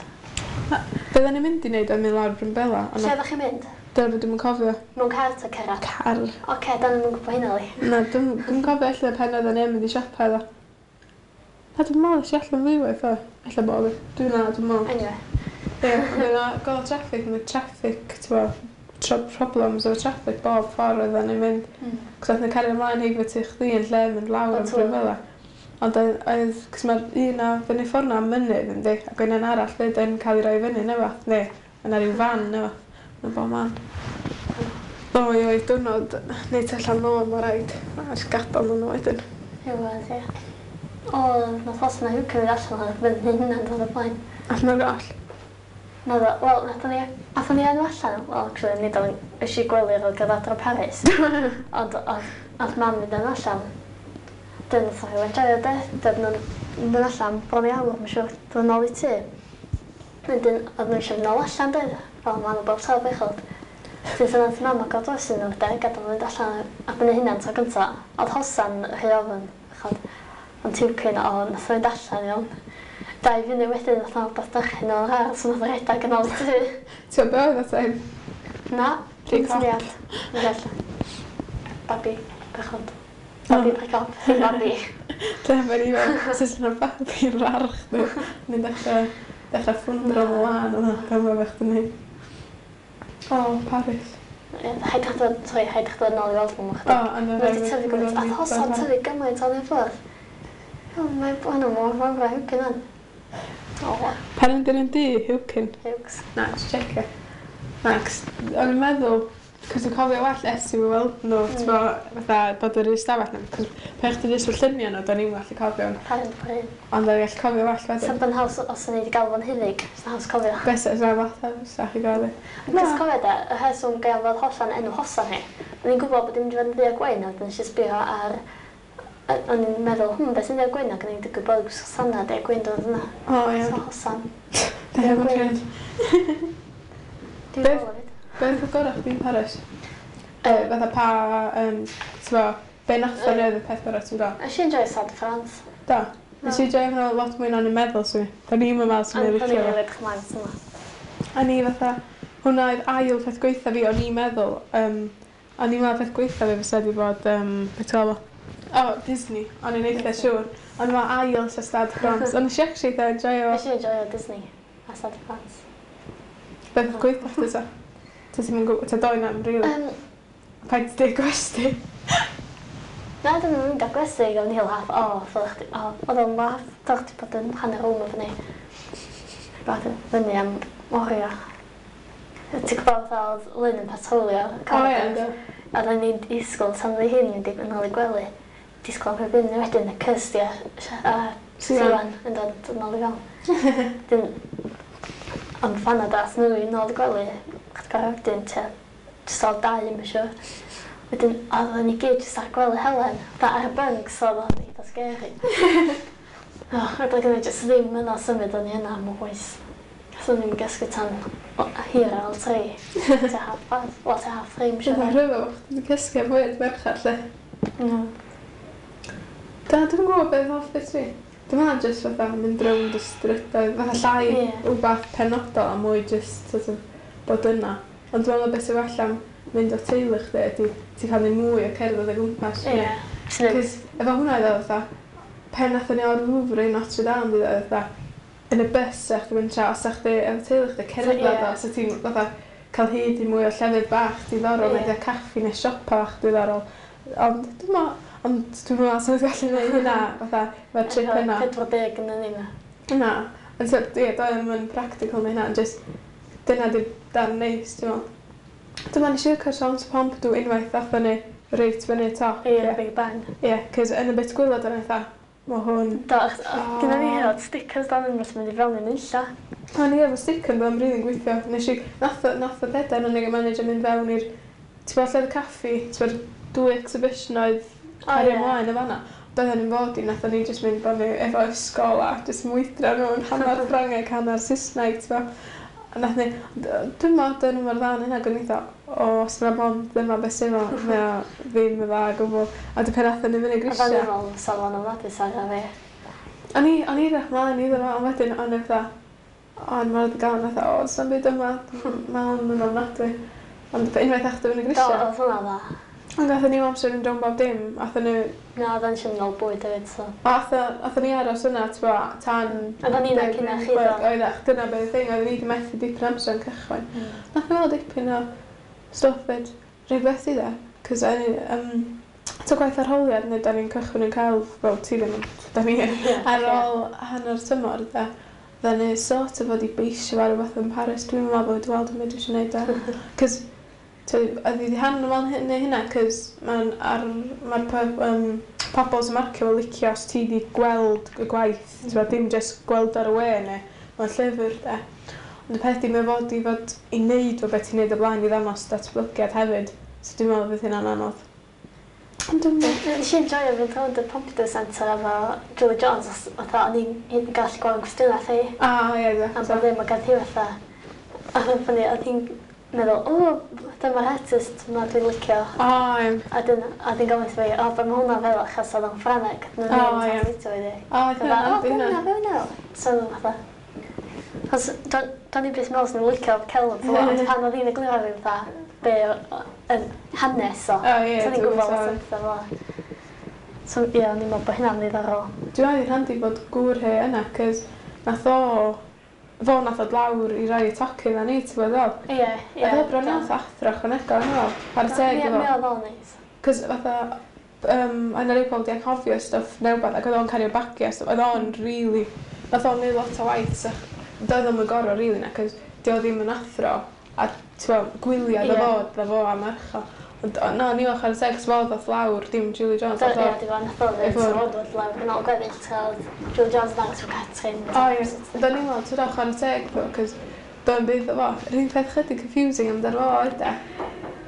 Bydden ni'n mynd i wneud oedd mynd lawr Brynbella, ond Lle ydych chi'n mynd? dyna beth dwi'm yn cofio. Mewn car ta cerdded? Car. Oce, da ni'm yn gwybod hynna li. Na, dwi'n dwi'n cofio ella pen oedden ni'n mynd i siopa iddo. Na, dwi'n meddwl es i allan ddwywaith o. Ella bo fi. Dwi'n na, dwi'n meddwl. Anyway. Ie, ond yna, gol traffic, mae traffic, ti'n bo, tro problems efo traffic bob ffordd oedden ni'n mynd. Mm. Cos oedd nhw'n cario ymlaen heibio ti chdi yn lle mynd lawr am Ond Brynbella. Ond oedd, oedd, cos mae'r un o fyny ffordd na am mynydd, yndi, ac oedd un arall fyd yn cael ei roi fyny, neu fath, neu, yna rhyw fan, neu fath, yn bob man. Ddoe oedd diwrnod, neud allan lôn, mae rhaid. A jyst gadael nhw wedyn. Rhywbeth, ie. O, nath os yna hwca fynd allan ar fyny hynna'n dod o blaen. Allan o'r goll. Naddo, wel, nathon ni, athon ni enw allan, wel, actually, nid o'n eisiau gwely ar ôl adra Paris. Ond oedd oedd mam mynd yn allan. Dyn nath o enjoio de, dyn nhw'n mynd yn allan bron i awr, mae'n siŵr, dod yn ôl i tŷ. Wedyn, oedd nhw eisiau mynd nôl allan, de, fel maen nhw bob tro bechod. Dyn nath mam agor drws iddyn nhw, de, gadael nhw mynd allan ar ben eu hunan tro gynta. Oedd hosan rhy ofn, bechod. Ond tiwcyn, o, nath o fynd allan, iawn. Dau funud wedyn, nath o rhywbeth dychryn o'n ar, so nath o redag yn ôl i tŷ. Ti'n gwybod be oedd o time? Na, Pry dim cop. syniad. Dwi'n gallu. Babi, bechod. Babi pry cop, ddim babi. Dyna fe'n i fel, sut yna babi'n rarch nhw. Ni'n dechrau, dechrau ffwndro mlaen yna, pan mae fech dyn ni. O, Paris. Ie, Rhaid chdi dod, sori, rhaid chdi dod nôl i weld nhw O, chydig. ond Mae wedi tyfu gymaint. A hosan tyfu gymaint o'n ei ffwrdd. O, mae hwnnw mor fawr a hwgyn yn. O, Pan yn dyn du, Hwcyn. Hughes. Na, just checio. Na, cos o'n i'n meddwl, cos dwi'n cofio well es i weld nhw, mm. T'bo, fatha bod yr ystafell nhw, cos pe chdi jyst fy lluniau nhw, do'n i'n gallu cofio nhw. Parent Parade. Ond o'n i'n gallu cofio well Sa'n wedyn. by'n haws os o'n i wedi gael fo'n hunig, sa'n haws cofio. Beth sy'n fatha, sa chi gofio. Cos cofio de, y rheswm gael fod hosan enw hosan hi, o'n i'n gwybod bod dim mynd i fod yn ddu a gwyn, a wedyn nes i sbio ar... a- O'n i'n meddwl, hmm, beth sy'n ddu a gwyn, ac o'n i'n digwydd bod hosanna du a gwyn dod yna. O, ie. So hosan. Da iawn, Gwyn. gwyn. Dwi'n Beth- meddwl hefyd. Beth oedd gorau chdi'n Paris? E, fatha pa, um, t'bo, be nath o'n oedd y peth gorau ti'n gael? Nes i enjoy Stade de France. Da. Nes i joio hwnna lot mwy na o'n i'n meddwl, swn i. Da ni'n meddwl swn i'n Ond o'n licio i'n fo. rili edrych ymlaen at hwnna. A ni fatha, hwnna oedd ail peth gweitha fi, o'n i'n meddwl, um, o'n i'n meddwl peth gweitha fi fysa wedi bod, um, beth ti'n galw fo? O, Disney, o'n i'n eitha siŵr. Ond mae ail sa Stade France. Ond nes i actually eitha enjoyo Nes i enjoyo Disney a Stade de France. beth gweitha chdi ta. Ta ti'n mynd ta doi na'n rili. Um, Paid di gwesti. Na, dyn nhw'n mynd â gwesti, o'n i'n laugh, o, ddylech chdi, o, oedd o'n laugh, dylech chdi bod yn hanner rŵm efo ni. Bod yn fyny am oriau. Ti'n gwybod fatha oedd Lynn yn patrolio O ie, ynddo. A oedden ni'n disgwyl tan oedd hi'n mynd i yn ôl i gwely. Disgwyl am rhyw byn wedyn y Kirsty a, a Siwan. Siwan yn dod yn ôl i fewn. Dyn, ond fanna dath nhw i nôl i gwely, chdi gorau wedyn tua jyst ôl dau, mae'n siŵr. Wedyn, oedden ni gyd jyst ar gwely Helen, fatha ar y bunk, so oedd o'n eitha scary. Oh, roedd gen i jyst ddim yna symud o'n i yna am oes. So o'n i'n gysgu tan o- hir ar ôl tri. Tua half past, wel tua half three, mae'n Dwi'n siŵr. rhyfedd bod chdi 'di cysgu am hwyr merched, lle. Mm. Da, dwi'n gwybod beth hoff bit fi. Dwi'n meddwl jyst fatha mynd rownd y strydoedd, fatha llai Ie. wbath penodol a mwy jyst sort of bod yna. Ond dwi'n meddwl beth sy'n well am mynd o teulu chdi ydi ti'n cael neud mwy o cerdded o gwmpas. Ie. Sy'n Cos efo hwnna oedd o fatha, pen nathon ni o'r Louvre i Notre Dame, oedd o fatha, yn y bus sa chdi mynd tra, os sa chdi efo teulu chdi cerdded Ie. o, so ti'n fatha cael hyd i mwy o llefydd bach diddorol, Ie. neu caffi neu siopa bach diddorol. Ond dwi'n meddwl, ond dwi'n meddwl sa chdi gallu neud hynna fatha efo'r trip yna. pedwar deg yn y yna. Na. Ond so, ie, doedd ddim yn practical neu hynna, ond just dyna di'r darn neis, dwi'n meddwl. Dwi'n meddwl nes i licio'r Centre Pompidou unwaith athon ni reit fyny top. Ie, Ie, Big Bang. Ie, cos yn y bit gwaelod o'n eitha, mae hwn... Do, achos O. gyda fi hyd stickers dan yn wrth mynd i fewn i'n unlla. O'n i efo sticker yn byddai'n rili'n gweithio. Nes i, nath, o- nath o bedair yn unig manager mynd fewn i'r... Ti'n bod lle oedd y caffi, ti'n bod dwy exhibition oedd cario ie. ymlaen y fanna. Doedden ni'n fod i, nathon ni jyst mynd bod ni efo ysgol a jyst mwydro nhw'n hanner Ffrangeg, hanner Saesneg, ti'n bod. A nath ni, dwi'n meddwl dyn nhw mor dda yn hynna, gwni eitha, o, os yna mond dyma beth sy'n o, mae o ddim yn dda o gwbl. A dy pen nathon ni fyny A fan grisiau. i'n meddwl sa fo'n ofnadwy sa ar fi. O'n i, o'n i ddech mlaen iddo fo, ond wedyn o'n i fatha, o, o'n mor gael, fatha, o, sa'n byd yma, mae hwn yn ofnadwy. Ond unwaith eich fyny Do, grisiau. oedd hwnna dda. Ond gathon ni amser yn rownd bob dim, athon ni, Na, oedd o'n eisiau nôl bwyd hefyd, so. athon, athon ni aros yna, ti'n bo, tan... Oedden ni yna cyn na chi, do. Oeddech, dyna beth y thing, oedden ni wedi methu dipyn amser yn cychwyn. Nath ni weld dipyn o stwff fyd, rhaid beth i dde, cos o'n i, um, to gwaith arholiad, neu da ni'n cychwyn yn cael, wel, ti ddim, ond da ni Ie, ar ôl hanner tymor, de, dda ni sort of fod i beisio fo ar rhywbeth yn Paris, dwi'n meddwl bod wedi weld yn byd eisiau gwneud e. Cos, oedd hi wedi hanner fel hyn neu hynna, cos mae'n ar, mae'r um, pobl sy'n marcio fo licio os ti wedi gweld y gwaith, mm. Ti'n dim just gweld ar y we neu mewn llyfr, de. Ond y peth di, mae fod i fod i wneud fo beth ti'n neud o blaen i ddangos datblygiad hefyd, so dwi'n meddwl fydd hynna'n anodd. Ond dwi'n meddwl... Nes i enjoyo fynd rownd y Pompidou Centre efo Julie Jones, os fatha o'n i'n gallu gweld cwestiynau thi. Ah, ie, A exactly. bod ddim, ac oedd hi fatha, oedd yn ffynnu, oedd hi'n meddwl, o, dyma'r artist yma dwi'n licio. O, ie. A dyn, a dyn gofyn fi, o, be mae hwnna fel achos oedd o'n Ffrangeg. Nhw'n O, ddim ie. yn translato iddi. O, Fatha, hynna'n o, handi be hynna. hwnna, be hwnna? So, fatha, Achos, do'n i byth meddwl swn i'n licio celf, ond pan oedd hi'n egluro fi fatha, be o- yn hanes o. O, ie, So o'n i'n dwi'n gwybod lot sorry. o pethau fel 'na. So, ie, o'n i'n meddwl bod hynna'n ddiddorol. Dwi'n meddwl i'n handi bod gŵr hi yna, cys nath o, fo nath o lawr i roi y tocyn na ni, ti'n bod fel? Ie, ie. Oedd o bron iawn fatha athro ychwanegol, yn fel, chwarae teg Ie, iddo mi fo. oedd o'n neis. Cys fatha, um, oedd 'na rei pobl 'di anghofio stwff neu wbath, ac oedd o'n cario bagiau stwff, oedd o'n really Nath o'n neud lot o waith, so doedd o'm yn gorfod rili na, cos di o ddim yn athro, a ti'n gwyliau ddo Ie. fo, ddo fo a merch o. Ond o, na, ni fel chwarae teg, cos fo ddoth lawr, dim Julie Jones. Do, Nath o- ie, di fo, nath o ddweud, Efo- so fo dod lawr yn ôl gweddill, ta oedd Julie Jones yn dangos efo Catrin. O ie, do'n i'n meddwl, ti'n chwarae teg ddo, cos do'n byd o fo. Yr un peth chydig confusing amdano fo oedd e.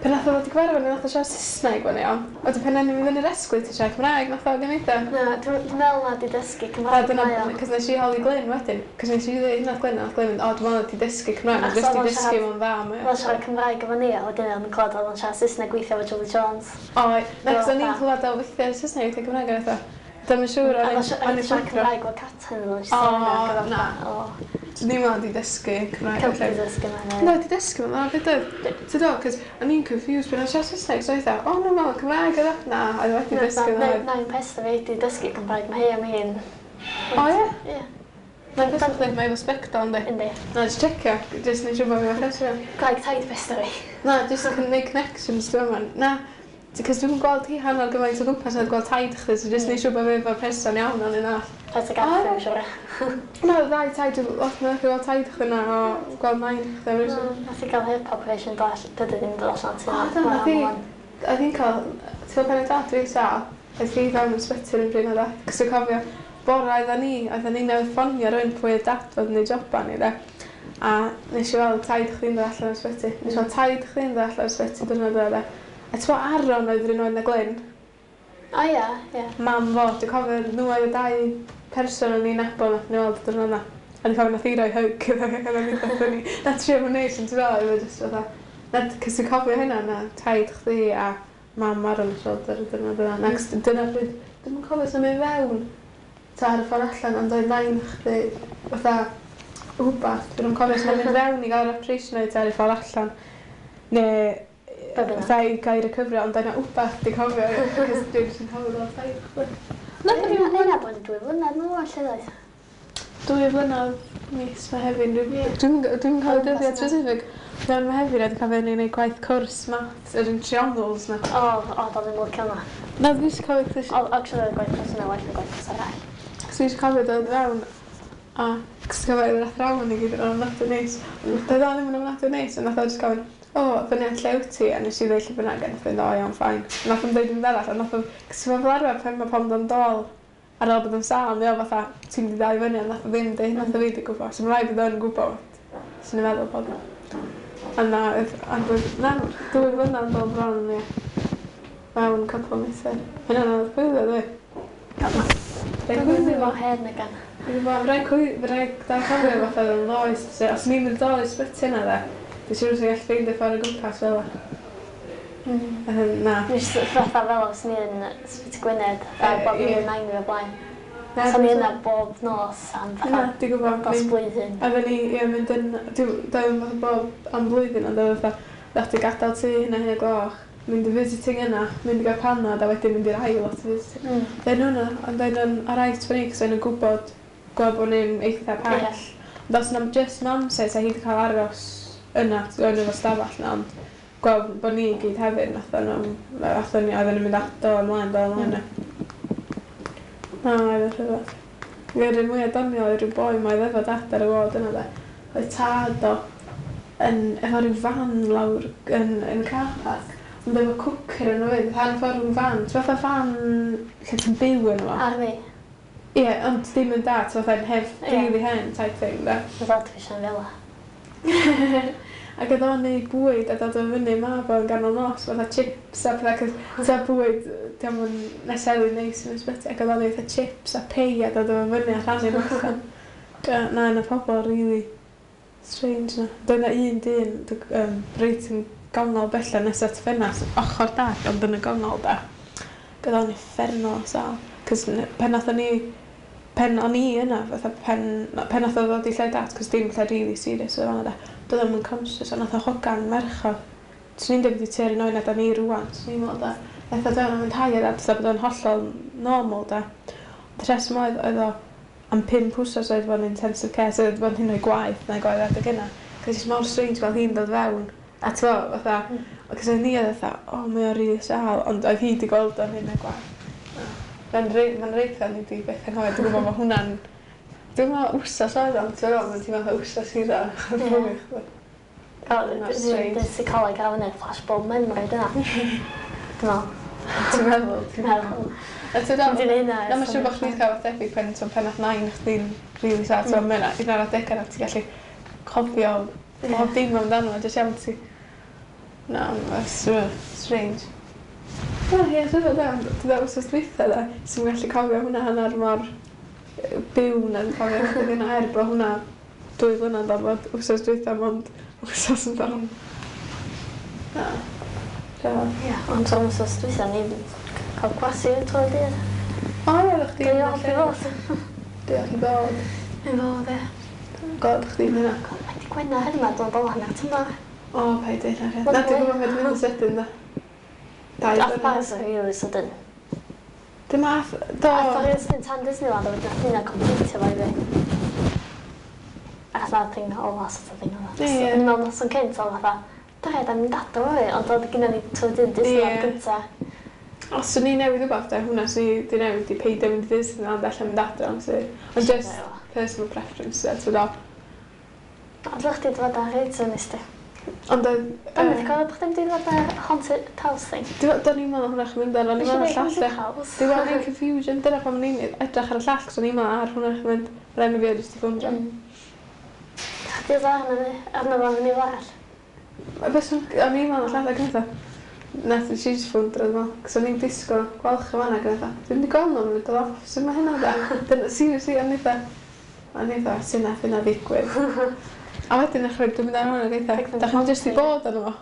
Pan nath o ddod i gyfarfod ni, nath o siarad Saesneg fan iawn. Wedyn pan o'n i'n mynd fyny'r esgly, ti siarad Cymraeg, nath o gymaint o. Na, dwi'n dwi'n meddwl na di dysgu A Cymraeg dyna, mae o. cos nes i holi Glyn wedyn, cos nes i ddweud hynna wrth Glyn, a nath Glyn mynd, o, dwi'n meddwl ti dysgu Cymraeg, Achos jyst oedd i o'n dysgu siarad- fo'n dda, mae Oedd o'n siarad Cymraeg efo ni, a wedyn o'n clywed oedd o'n siarad Saesneg weithio efo Julie Jones. O, na, cos o'n i'n Fatha- clywed o weithiau Saesneg, weithiau Cymraeg, a fatha, dwi'm yn siŵr, A o'n oedd i'n o'n o'n i'n siarad siarad Cymraeg efo Catrin, oedd o'n O, siarad na. O, Dwi'n meddwl di dysgu Cymraeg. Cymraeg felly. dysgu yma. Na, di dysgu fo'n dda, beth oedd? Ti'n dod, cos o'n i'n confused pan o'n siarad Saesneg, so oedd o, no, meddwl Cymraeg oedd o. Na, oedd wedi dysgu Na, dda. na, un peth fi di dysgu Cymraeg, mae hi am hyn. O, ie? Ie. Mae'n beth chdi, mae efo sbectol, yndi? Yndi. Na, just checio, just neud siŵr bod fi efo chesio. Cymraeg taid peth fi. Na, just yn gwneud connections, dwi'n meddwl. Na, cos dwi'n gweld hi hanner gymaint o gwmpas na gweld taid chdi, so just neud siŵr bod fi efo'r person iawn o'n un all. Taid y gath, O, dwi'n siŵr. Na, y ddau taid, dwi'n lot mwy gweld taid chdi na o gweld nain chdi. am reswm. Mm, Nath i gael hip operation do all- dydy ddim dod allan ti. O, do, nath hi. Oedd hi'n cael, ti'n gwybod pan oedd dad fi'n sâl, oedd hi fewn yn ysbyty yn bryd o dad. Cos dwi'n cofio, bora oedden ni, oedden ni newydd ffonio rywun pwy oedd dad fod yn ei joban ni, de. A nes i weld taid chdi'n dod allan o'r ysbyty. Nes i weld taid chdi'n dod allan o'r ysbyty diwrnod o, de. A ti'n gwybod Aaron oedd yr un oed na Glyn? O ie, ie. Mam fo, dwi'n cofio nhw oedd y dau person o'n i'n nabod nath ni weld y diwrnod yna. A dwi'n cofio nath hi roi hug iddo fi, ac o'n i'n dod ni. Na trio fo'n neis, ond ti'n fel, oedd o jyst fatha. Na, cos dwi'n cofio hynna, na taid chdi a mam Aaron yn siarad ar y diwrnod yna. Na, cos dyna pryd, dwi'm yn cofio sy'n mynd fewn ta ar y ffordd allan, ond oedd nain chdi fatha wbath. Dwi'n cofio sy'n mynd fewn i gael yr operation neu ta ar y ffordd allan. Neu Be bynnag. fatha i gael recovery, ond oedd na wbath dwi'n cofio, cos dwi'n jyst yn cofio gweld taid chdi. Nath ni Hynna bod yn dwy flynedd nôl, lle doedd? Dwy flynedd mis Mehefin. Dwi'n dwi'n dwi'n cofio O, dyddiad gwmpas specific. Dwi'n Mehefin a dwi'n cofio ni'n gwneud gwaith cwrs maths yr un triongles na. O, o, doedd ddim licio hwnna. Na, dwi eisiau cofio cos O, actually, oedd gwaith cwrs yna well na gwaith cwrs arall. dwi eisiau cofio dod fewn a cos cofio yr athrawon i gyd yn ofnadwy neis. Doedd o ddim yn ofnadwy neis, ond nath o jyst gofyn, o, fyny at lle wyt ti? A nes i ddeud lle bynnag, a nath o fynd, o, iawn, fine. A nath o'm deud yn arall, a nath o, cos fel arfer pan mae pobl yn dod ar ôl bod yn sâl, mae o fatha, ti'n mynd i ddal i fyny, a nath o ddim deud, nath o fi di gwybod. So mae'n rhaid bod o'n gwybod. Swn i'n meddwl bod o. A na, oedd- ond oedd- na, dwy flynedd yn dod bron, ie. Mewn couple o misoedd. Hynna'n anodd gwylio, dwi. Rhaid Dwi'n gwylio mor fo. hen ag an. Dwi'n gwybod, rhaid cwy- rhaid da cofio fatha oedd yn ddoe. So, os ni'n mynd dol i ysbyty yna, de, dwi'n siŵr sy'n gallu ffeindio ffordd o gwmpas fel 'a. Mm. Na. Nes fatha fel os ni yn Ysbyty Gwynedd, a Yy, bob ie. un nain fi o blaen. Na, So ni dwi'n- yna bob nos am Na, fatha dwi'n gwybod. dros Mynd- blwyddyn. Oedden ni, ie, mynd yn, dwi'n dwi'n fatha bob am blwyddyn, ond oedd fatha, ddech chi gadael tŷ hynna hynna gloch, mynd i visiting yna, mynd i gael panad, a wedyn mynd i'r ail lot o visiting. Mm. Dyn nhw'n, ond dyn nhw'n alright for ni, cos dyn nhw'n gwybod, gwybod bod ni'n eitha pell. Ie. Ond os yna just mam se, sa hi wedi cael aros yna, yn efo stafell na, ond gweld bod ni i gyd hefyd, nath nhw, nath ni, oedden nhw'n mynd ato ymlaen, do ymlaen. Na, oedd yn rhyfedd. Yr un mwyaf doniol oedd rhyw boi ma oedd efo dad ar y ward yna de. Oedd tad o yn, efo rhyw fan lawr yn, yn car park. Ond efo cwcer yn fyd, han ffordd rhyw fan. Ti'n fatha fan lle ti'n byw yn fo? Ar fi, Ie, ond ddim yn da, ti'n fatha hef, Ie. really hen type thing, de. oedd dad fi sian fel 'a. Ac oedd o'n neud bwyd a dod o fyny mab o'n ganol nos, fatha chips a pethau, cos ta bwyd, diolch yn necessarily neis yn ysbyty, ac oedd o'n neud fatha chips a pei a dod o fyny a rhannu nhw allan. Ga- Na, yna pobl really strange na. Doedd 'na un dyn, dw- um, reit yn gongol bella nes at ffenast, ochr dad, ond yn y gongol da. Ac oedd o'n uffernol o sâl. Cos n- pan nathon ni, pen o'n i yna, fatha pen, pen nath o ddod i lle dad, cos dim lle really serious oedd fan'na da. Doedd o'm yn conscious, a nath o hogan merch o. Swn i'n deud bod i tua'r un oed na da ni rŵan, swn i'n meddwl da. Nath o fewn a mynd hi a dad, fatha bod o'n hollol normal da. Ond y rheswm oedd, oedd o am pump wsos oedd fo'n intensive care, so oedd fo'n hyn o'i gwaith na gwaith adeg yna. Cos it's mor strange gweld hi'n dod fewn. A ti'n gwbod, fatha, cos oedd ni oedd fatha, o, mae o'n rili sâl, ond oedd hi wedi gweld o'n hyn o'i gwaith. Mae'n reit, mae'n reit dda ni wedi beth anghofio, dwi'n gwybod mae hwnna'n Dwi'n meddwl wsos oedd o'n, ti'n meddwl, mae'n teimlo fatha wsos hira. Ie. Dwi'n seicoleg ar fyny, flashbulb memory dyna. Dwi'n meddwl. Ti'n meddwl? Ti'n meddwl. A ti'n meddwl? Dwi'n hynna. Na, mae'n siŵr bod chdi'n cael debyg pen, so pen nath nain chdi'n really sad, so mae'n un o'r adegau na ti'n gallu cofio bob dim amdano, jyst iawn ti. Na, mae'n strange. Na, ie, dwi'n meddwl, dwi'n meddwl wsos dwytha da, sy'n gallu cofio hwnna hanner mor byw na'n cofio hynna er bod hwnna dwy flynedd ar fod wsos dwytha mond wsos yn dal. Na. Ie, ond o'n wsos dwytha ni cael gwasu trwy'r dydd. O, ie, o'ch chdi. Diolch i fod. Diolch i fod. I fod, ie. God, chdi hynna. God, mae di Gwener heddiw 'ma, dwi'n dod hanner tymor. O, paid deud na. Na, dwi'n gwybod beth mynd yn sydyn, da. Dau Ath Paris yn really sydyn. Dim ath... Do. Ath o'r sydyn tan Disneyland, a wedyn nath hynna completio fo i fi. Ac nath thing ola sort of thing oedd. Ie. O'n i'n meddwl noson cynt, oedd fatha, da, da ni'n adra fo fi, ond oedd gynna ni trwy dyn Disneyland Ie. gynta. Os o'n i newid rhywbeth, da, hwnna sy'n i di newid i peidio mynd i Disneyland allan mynd adra, ond sy. Ond just personal preference, e, ti'n do. Ond ddech chdi dod ar reit yn ysdi. Ond oedd... Dwi'n mynd i gofio bod chdi'n dod ar haunted house thing. Do'n i'n meddwl hwnna chi'n mynd ar, o'n i'n meddwl y llall. Haunted house. Dwi'n meddwl i'n confusion, dyna pam o'n i'n edrych ar y llall, cos o'n i'n meddwl ar hwnna chi'n mynd, yr enw fi oedd jyst i ffwndro. Chdi oedd arno fi, arno fo fyny fel arall. Bys o'n i'n meddwl y llall ac yn eitha. Nath i just ffwndro, dwi'n meddwl, cos o'n i'n disgwyl gweld chi fan'na ac yn eitha. Dwi'n mynd i gweld nhw, mae'n dod off, sut mae hynna da? Dyna, seriously, o'n eitha, o'n eitha, sut nath hynna ddigwydd? A wedyn eich dwi'n mynd ar hwnna ac eitha, da chi'n jyst i bod arno fo?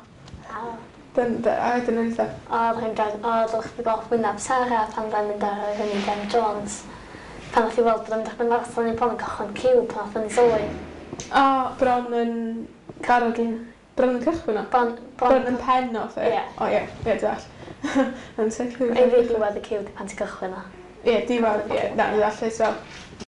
Dyn, a wedyn o'n eitha. O, ddech chi'n gael, o, ddech chi'n gweld wyneb Sarah pan dda'n mynd ar yr Indiana Jones. Pan nath i weld bod o'n mynd ar marathon i bron yn cychwyn ciw pan nath o'n i sylwi. O, bron yn barod yn, bron yn cychwyn o? Bron, bron yn pen off e? Ie. O ie, ie, deall. Yn sicr. I fi diwedd y ciw di pan ti'n cychwyn o. Ie, diwedd, ie, na, deall, fel.